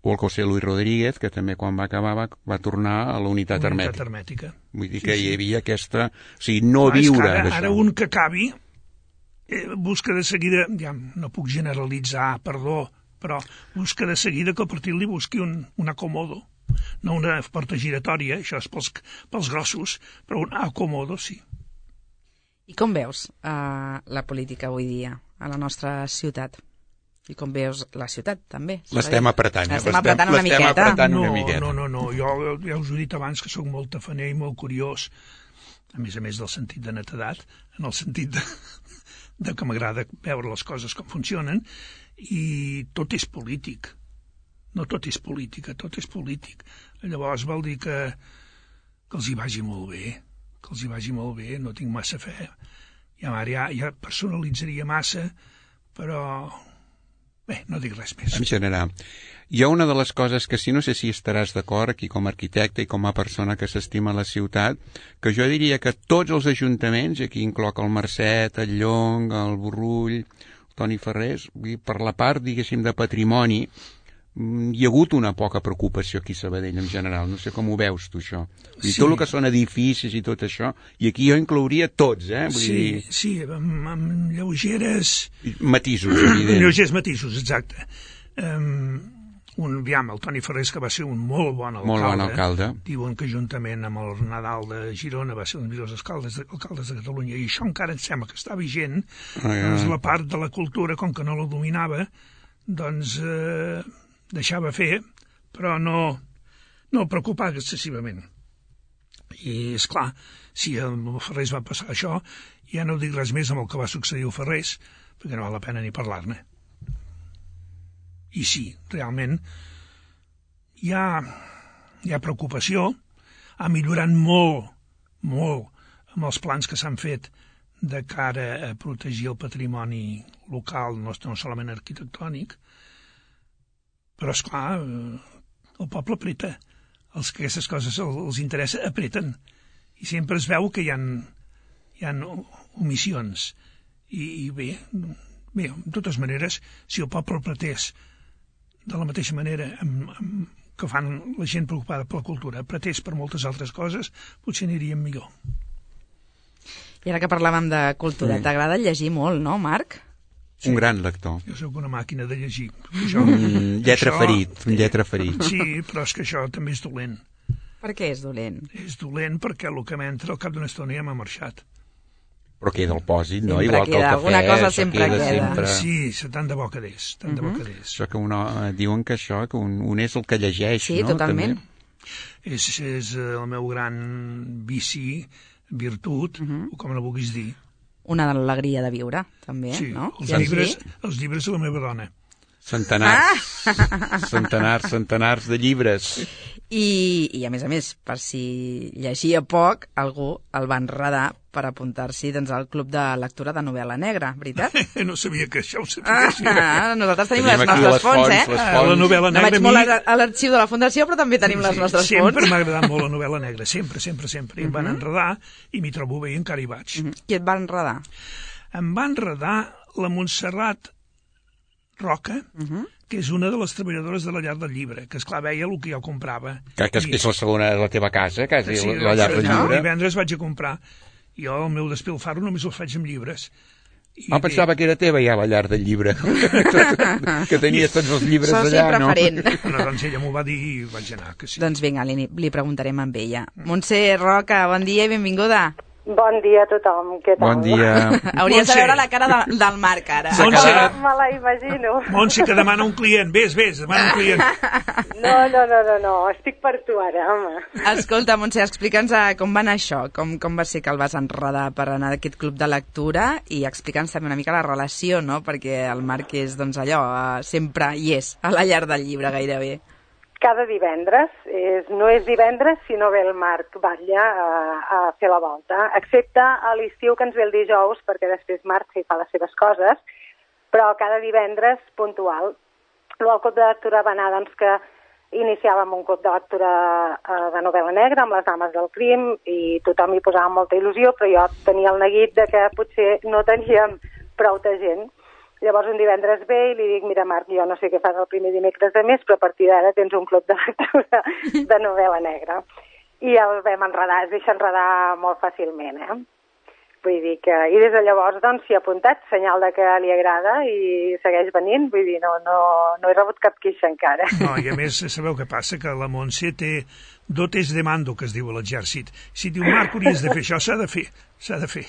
O el José Luis Rodríguez, que també quan va acabar va, va tornar a la unitat, unitat hermètica. hermètica. Vull dir sí, que sí. hi havia aquesta... O sigui, no Clar, viure ara, d'això. Ara un que acabi eh, busca de seguida, ja no puc generalitzar, perdó, però busca de seguida que el partit li busqui un, un acomodo. No una porta giratòria, això és pels, pels grossos, però un acomodo sí. I com veus uh, la política avui dia a la nostra ciutat? I com veus la ciutat, també? L'estem apretant. L'estem apretant una miqueta. Apretant no, una miqueta. no, no, no, jo ja us he dit abans que sóc molt tafaner i molt curiós, a més a més del sentit de netedat, en el sentit de, de que m'agrada veure les coses com funcionen, i tot és polític. No tot és política, tot és polític. Llavors vol dir que, que els hi vagi molt bé, que els hi vagi molt bé, no tinc massa fe. Ja, ja, ja personalitzaria massa, però... Bé, no dic res més. En general, hi ha una de les coses que sí, no sé si estaràs d'acord aquí com a arquitecte i com a persona que s'estima la ciutat, que jo diria que tots els ajuntaments, aquí incloc el Mercet, el Llong, el Borrull, el Toni Ferrés, per la part, diguéssim, de patrimoni, hi ha hagut una poca preocupació aquí a Sabadell en general. No sé com ho veus tu, això. I sí. Tot el que són edificis i tot això, i aquí jo inclouria tots, eh? Vull sí, dir... sí, amb, amb lleugeres... Matisos, evident. Lleugers matisos, exacte. Um, un, aviam, el Toni Ferrés, que va ser un molt bon alcalde. Molt bon alcalde. Diuen que juntament amb el Nadal de Girona va ser un dels millors alcaldes de, alcaldes de Catalunya, i això encara em sembla que està vigent. Ah, ja. Doncs la part de la cultura, com que no la dominava, doncs... Eh, deixava fer, però no, no el preocupava excessivament. I, és clar, si el Ferrés va passar això, ja no dic res més amb el que va succeir al Ferrés, perquè no val la pena ni parlar-ne. I sí, realment, hi ha, hi ha preocupació, ha millorat molt, molt, amb els plans que s'han fet de cara a protegir el patrimoni local, no, no solament arquitectònic, però, esclar, el poble apreta. Els que aquestes coses els interessa, apreten. I sempre es veu que hi ha, hi ha omissions. I, i bé, bé, de totes maneres, si el poble apretés de la mateixa manera amb, amb, que fan la gent preocupada per la cultura, apretés per moltes altres coses, potser aniríem millor. I ara que parlàvem de cultura, sí. T'agrada llegir molt, no, Marc? Sí. Un gran lector. Jo soc una màquina de llegir. Això, mm, lletra això, ferit, un lletra ferit. Sí, però és que això també és dolent. Per què és dolent? És dolent perquè el que m'entra al cap d'una estona ja m'ha marxat. Però queda el pòsit, no? Sempre Igual queda, que el cafè. Alguna cosa sempre queda. queda. Sempre... Sí, tant de bo quedés, tant uh-huh. de bo quedés. Això que una, diuen que això, que un, un és el que llegeix, sí, no? Sí, totalment. També. És, és el meu gran vici, virtut, uh-huh. o com la vulguis dir. Una alegria de viure, també, sí, no? Els, llibres, els llibres de la meva dona. Centenars, ah! centenars, centenars de llibres. I, I, a més a més, per si llegia poc, algú el va enredar per apuntar-s'hi doncs, al club de lectura de novel·la negra, veritat? No sabia que això ho sapiguessin. Ah, nosaltres tenim, tenim les nostres les fonts, fonts, eh? Les fonts. La novel·la negra... No vaig molt mi... a l'arxiu de la Fundació, però també tenim sí, les nostres sempre fonts. Sempre m'ha agradat molt la novel·la negra, sempre, sempre, sempre. I em van enredar i m'hi trobo bé i encara hi vaig. Uh-huh. Qui et va enredar? Em va enredar la Montserrat Roca, uh-huh. que és una de les treballadores de la Llar del Llibre, que esclar veia el que jo comprava. Que, que és, I... és la segona de la teva casa, quasi, sí, la Llar del Llibre. Divendres vaig a comprar. Jo el meu despilfarro només el faig amb llibres. I ah, pensava que era teva ja la Llar del Llibre, que tenies tots els llibres Soci allà, no? No, doncs ella m'ho va dir i vaig anar, que sí. Doncs vinga, li, li preguntarem amb ella. Montse Roca, bon dia i benvinguda. Bon dia a tothom, què tal? Bon dia. Hauries Montse. De veure la cara de, del Marc, ara. Montse. Me la imagino. Montse, que demana un client. Vés, vés, demana un client. No, no, no, no, no. Estic per tu ara, home. Escolta, Montse, explica'ns com va anar això, com, com va ser que el vas enredar per anar a aquest club de lectura i explica'ns també una mica la relació, no?, perquè el Marc és, doncs, allò, sempre hi és, a la Llar del Llibre, gairebé. Cada divendres, és, no és divendres, sinó ve el Marc Batlle a, a fer la volta, excepte a l'estiu que ens ve el dijous, perquè després marxa i fa les seves coses, però cada divendres puntual. El club de lectura va anar, doncs, que iniciàvem un club de lectura eh, de novel·la negra amb les dames del crim i tothom hi posava molta il·lusió, però jo tenia el neguit de que potser no teníem prou de gent. Llavors un divendres ve i li dic, mira Marc, jo no sé què fas el primer dimecres de mes, però a partir d'ara tens un club de lectura de novel·la negra. I el vam enredar, es deixa enredar molt fàcilment, eh? Vull dir que... I des de llavors, doncs, s'hi ha apuntat, senyal de que li agrada i segueix venint, vull dir, no, no, no he rebut cap queixa encara. No, i a més, sabeu què passa? Que la Montse té dotes de mando, que es diu a l'exèrcit. Si diu, Marc, hauries de fer això, s'ha de fer, s'ha de fer.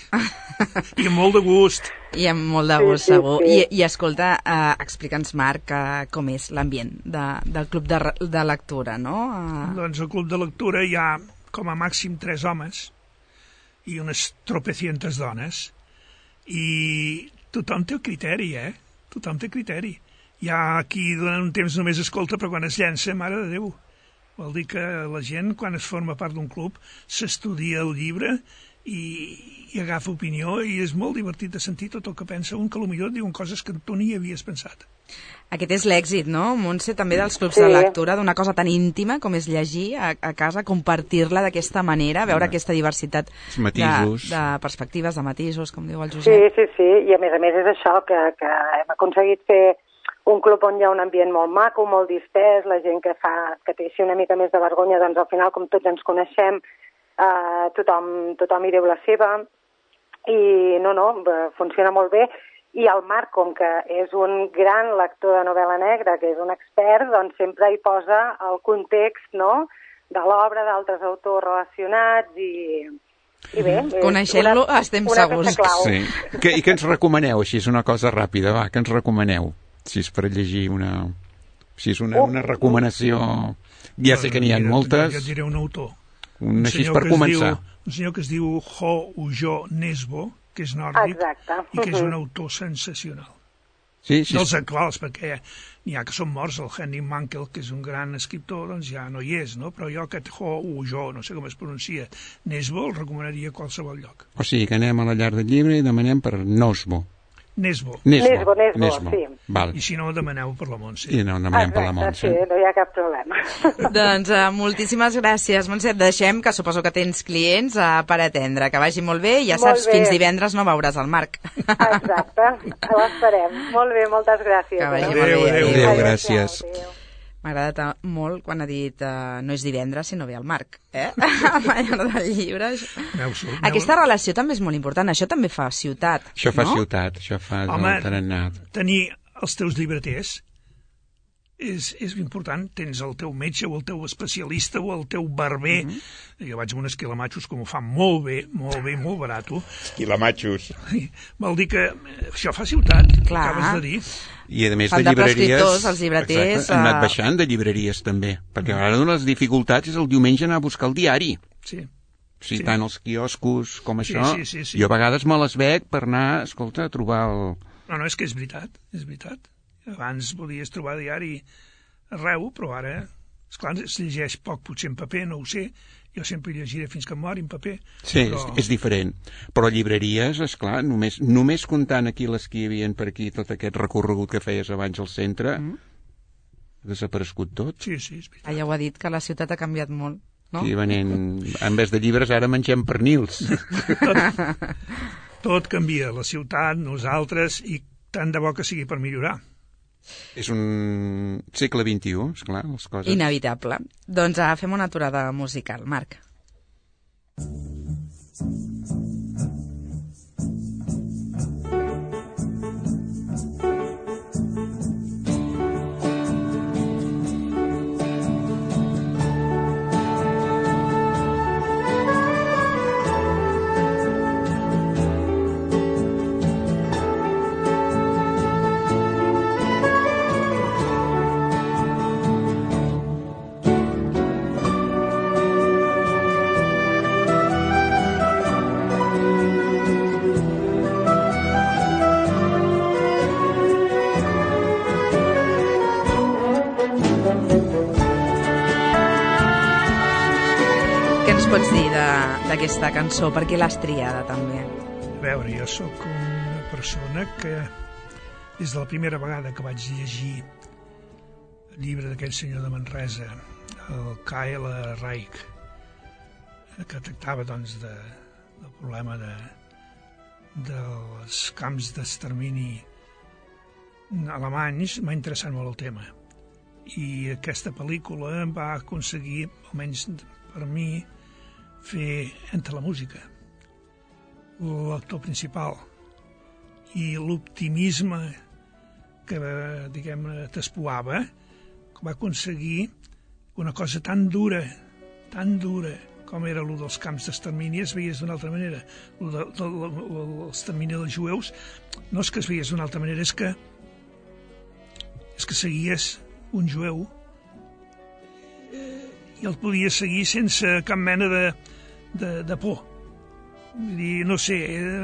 I amb molt de gust. I amb molt de gust, sí, sí, segur. Sí. I, I escolta, uh, explica'ns, Marc, uh, com és l'ambient de, del club de, de lectura, no? Uh... Doncs al club de lectura hi ha com a màxim tres homes i unes tropecientes dones. I tothom té el criteri, eh? Tothom té criteri. Hi ha qui durant un temps només escolta, però quan es llença, mare de Déu. Vol dir que la gent, quan es forma part d'un club, s'estudia el llibre i, i agafa opinió i és molt divertit de sentir tot el que pensa un, que potser diuen coses que tu ni havies pensat. Aquest és l'èxit, no, Montse, també dels clubs sí. de lectura, d'una cosa tan íntima com és llegir a, a casa, compartir-la d'aquesta manera, veure sí. aquesta diversitat de, de perspectives, de matisos, com diu el Josep. Sí, sí, sí, i a més a més és això, que, que hem aconseguit fer un club on hi ha un ambient molt maco, molt distès, la gent que fa que té així una mica més de vergonya, doncs al final, com tots ens coneixem, eh, tothom, tothom hi diu la seva, i no, no, funciona molt bé. I el Marc, com que és un gran lector de novel·la negra, que és un expert, doncs sempre hi posa el context, no?, de l'obra d'altres autors relacionats i... I bé, coneixent-lo estem segurs. Sí. Que, I què ens recomaneu, així és una cosa ràpida, va, què ens recomaneu? Si és per llegir una... Si és una, una recomanació... Ja sé que n'hi ha moltes. Jo et diré un autor. Un, un així per començar. Diu, un senyor que es diu Ho Ujo Nesbo, que és nòrdic, exacte. I que és un autor sensacional. Sí, sí. Dels actuals, perquè n'hi ha que són morts, el Henry Mankell, que és un gran escriptor, doncs ja no hi és, no? Però jo aquest Ho Ujo, no sé com es pronuncia, Nesbo, el recomanaria a qualsevol lloc. O sigui que anem a la Llar del Llibre i demanem per Nosbo. Nesbo. Nesbo, Nesbo, Nesbo. Sí. Val. I si no, demaneu per la Montse. I no, demanem per la Montse. Sí, no hi ha cap problema. Doncs uh, moltíssimes gràcies, Montse. Et deixem, que suposo que tens clients uh, per atendre. Que vagi molt bé i ja saps, fins divendres no veuràs el Marc. Exacte, ho esperem. Molt bé, moltes gràcies. Que vagi adéu, molt bé. adéu, adéu, gràcies. Adéu. M'ha agradat molt quan ha dit uh, no és divendres si no ve el Marc, eh? M'agrada del llibre. Aquesta relació també és molt important, això també fa ciutat, Això fa no? ciutat, això fa Home, el tarannà. tenir els teus llibreters és, és important. Tens el teu metge o el teu especialista o el teu barber. Mm -hmm. Jo vaig amb uns quilamachos que m'ho fan molt bé, molt bé, molt barato. Quilamachos. Vol dir que això fa ciutat, Clar. acabes de dir. I a més Fan de de llibreries... prescriptors, els llibreters, Exacte, han anat uh... baixant de llibreries també, perquè ara una de les dificultats és el diumenge anar a buscar el diari. Sí. O sigui, Sí. tant els quioscos com Sí, això, sí, sí, sí. jo a vegades me les bec per anar, escolta, a trobar el... No, no, és que és veritat, és veritat. Abans podies trobar diari arreu, però ara, esclar, es llegeix poc, potser en paper, no ho sé. Jo sempre llegiré fins que em mori en paper. Sí, però... és, és diferent. Però llibreries, esclar, només, només comptant aquí les que hi havia per aquí, tot aquest recorregut que feies abans al centre, mm. ha desaparegut tot. Sí, sí, és veritat. Ah, ja ho ha dit, que la ciutat ha canviat molt, no? Sí, venent, en vez de llibres ara mengem pernils. Tot, tot canvia, la ciutat, nosaltres, i tant de bo que sigui per millorar. És un segle vint-i-u, esclar, les coses... Inevitable. Doncs uh, fem una aturada musical, Marc. Pots dir d'aquesta cançó? Per què l'has triada, també? A veure, jo sóc una persona que, des de la primera vegada que vaig llegir el llibre d'aquell senyor de Manresa, el Kyle Reich, que tractava, doncs, de, del problema de, dels camps d'extermini alemanys, m'ha interessat molt el tema. I aquesta pel·lícula va aconseguir, almenys per mi, fer entre la música, l'actor principal, i l'optimisme que, diguem-ne, t'espoava, va aconseguir una cosa tan dura, tan dura, com era el dels camps d'extermini, es veies d'una altra manera. L'extermini dels jueus no és que es veies d'una altra manera, és que és que seguies un jueu i el podies seguir sense cap mena de, de, de por. Vull dir, no sé,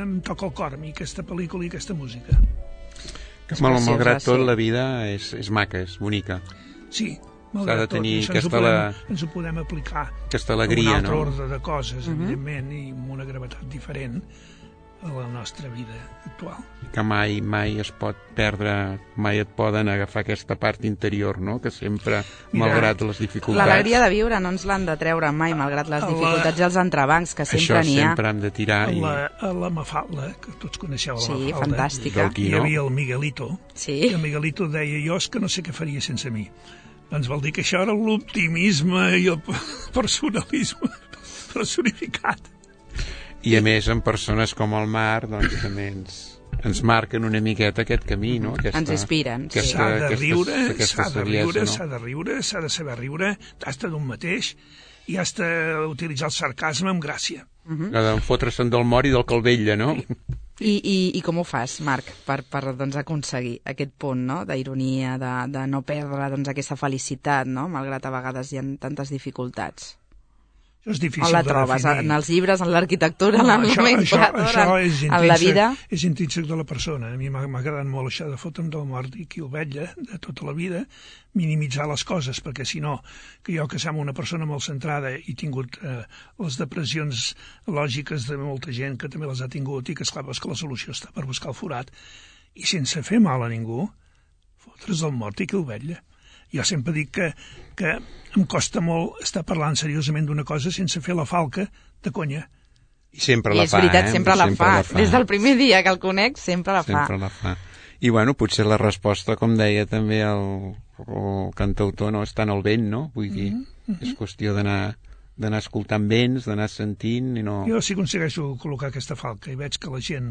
em toca el cor a mi aquesta pel·lícula i aquesta música. Que mal, malgrat tot, la vida és, és maca, és bonica. Sí, malgrat tot, ens, aquesta ho podem, la... ens ho podem aplicar aquesta alegria, a un altre no? ordre de coses, uh-huh. evidentment, i amb una gravetat diferent a la nostra vida actual. Que mai, mai es pot perdre, mai et poden agafar aquesta part interior, no? Que sempre, Mira, malgrat les dificultats... L'alegria de viure no ens l'han de treure mai, malgrat les dificultats i els entrebancs, que sempre n'hi ha. Això sempre hem de tirar. A I... la, a la Mafalda, que tots coneixeu la sí, Mafalda. Fantàstica. Hi havia el Miguelito. Sí. I el Miguelito deia, jo és que no sé què faria sense mi. Doncs vol dir que això era l'optimisme i el personalisme personificat. I a més, en persones com el Marc, doncs també ens, ens marquen una miqueta aquest camí, no? Aquesta, ens inspiren. Aquesta, sí. S'ha de riure, s'ha de riure, s'ha de riure, s'ha de saber riure, has de d'un mateix, i has d'utilitzar el sarcasme amb gràcia. Uh-huh. La de fotre-se'n del mort i del calvella, no? I, i, I com ho fas, Marc, per, per doncs, aconseguir aquest punt, no?, d'ironia, de, de no perdre doncs, aquesta felicitat, no?, malgrat a vegades hi ha tantes dificultats? Això és difícil on la de trobes? definir. En els llibres, en l'arquitectura, no, en la nomenclatura, en la vida? És intrínsec de la persona. A mi m'ha agradat molt això de fotre'm del mort i qui el vetlla de tota la vida, minimitzar les coses, perquè si no, que jo que sembla una persona molt centrada i tingut eh, les depressions lògiques de molta gent que també les ha tingut i que esclar, que la solució està per buscar el forat, i sense fer mal a ningú, fotre's el mort i que el vetlla. Jo sempre dic que, que em costa molt estar parlant seriosament d'una cosa sense fer la falca de conya. I sempre la I és fa, veritat, eh? sempre, la, sempre fa. la fa. Des del primer dia que el conec, sempre la sempre fa. la fa. I bueno, potser la resposta, com deia també el, el cantautor, no és tant el vent, no? Vull dir, mm-hmm. és qüestió d'anar d'anar escoltant vents, d'anar sentint i no... Jo si aconsegueixo col·locar aquesta falca i veig que la gent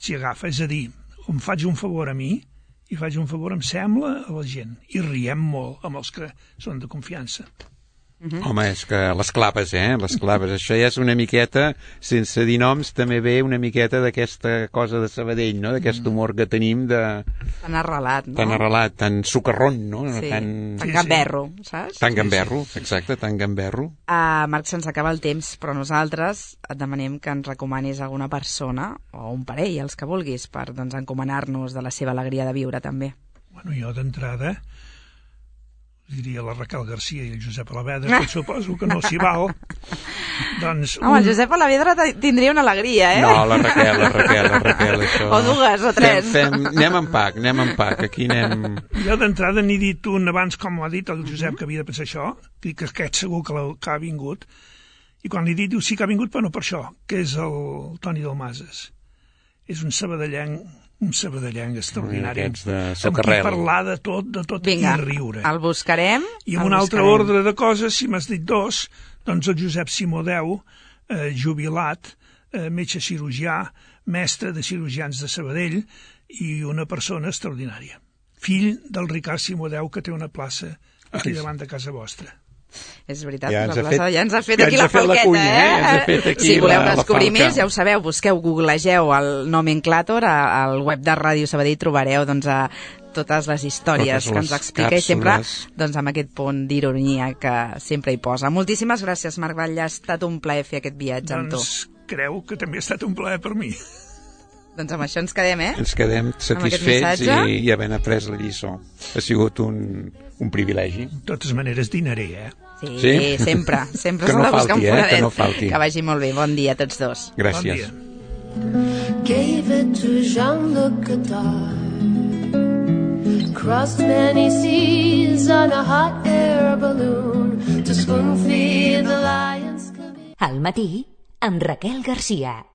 s'hi agafa, és a dir, em faig un favor a mi i faig un favor, em sembla, a la gent. I riem molt amb els que són de confiança. Mm-hmm. Home, és que les claves, eh? Les claves. Això ja és una miqueta, sense dir noms, també ve una miqueta d'aquesta cosa de Sabadell, no? D'aquest humor que tenim de... Tan arrelat, no? Tan arrelat, tan sucarrón, no? Sí, tan, tan gamberro, saps? Tan gamberro, exacte, tan gamberro. Uh, Marc, se'ns acaba el temps, però nosaltres et demanem que ens recomanis alguna persona, o un parell, els que vulguis, per doncs, encomanar-nos de la seva alegria de viure, també. Bueno, jo d'entrada diria la Raquel Garcia i el Josep Alavedra, que suposo que no s'hi val. Doncs un... Home, el Josep Alavedra tindria una alegria, eh? No, la Raquel, la Raquel, la Raquel, això... O dues, o tres. Fem, fem... Anem en pack, anem en pack, aquí anem... Jo d'entrada n'he dit un abans, com ho ha dit el Josep, que havia de pensar això, que aquest segur que, que ha vingut, i quan li he dit, diu, sí que ha vingut, però no per això, que és el Toni Dalmases. És un sabadellenc, un sabadellenc extraordinari, amb qui parlar de tot, de tot, Vinga, i riure. El buscarem. I en un altre ordre de coses, si m'has dit dos, doncs el Josep Simodeu, eh, jubilat, eh, metge cirurgià, mestre de cirurgians de Sabadell, i una persona extraordinària. Fill del Ricard Simodeu, que té una plaça aquí davant de casa vostra. És veritat, ja la plaça fet, ja ens ha fet ja aquí la falqueta, cunya, eh? Ja fet aquí si voleu la, descobrir la més, ja ho sabeu, busqueu, googlegeu el Nomenclator, al web de Ràdio Sabadell trobareu doncs, a totes les històries totes que ens explica càpsules. I sempre doncs, amb aquest punt d'ironia que sempre hi posa. Moltíssimes gràcies, Marc Batlle, ha estat un plaer fer aquest viatge doncs, amb tu. Doncs creu que també ha estat un plaer per mi. Doncs amb això ens quedem, eh? Ens quedem satisfets i, i havent après la lliçó. Ha sigut un, un privilegi. De totes maneres dinaré, eh? Sí, sí? sempre, sempre s'ha no de buscar falti, un foradet. Eh? Que no falti. Que vagi molt bé. Bon dia a tots dos. Gràcies. Bon Gave it to Jean-Luc Godard. Crossed many seas on a hot air balloon to spoon feed the lions. Al matí, amb Raquel Garcia.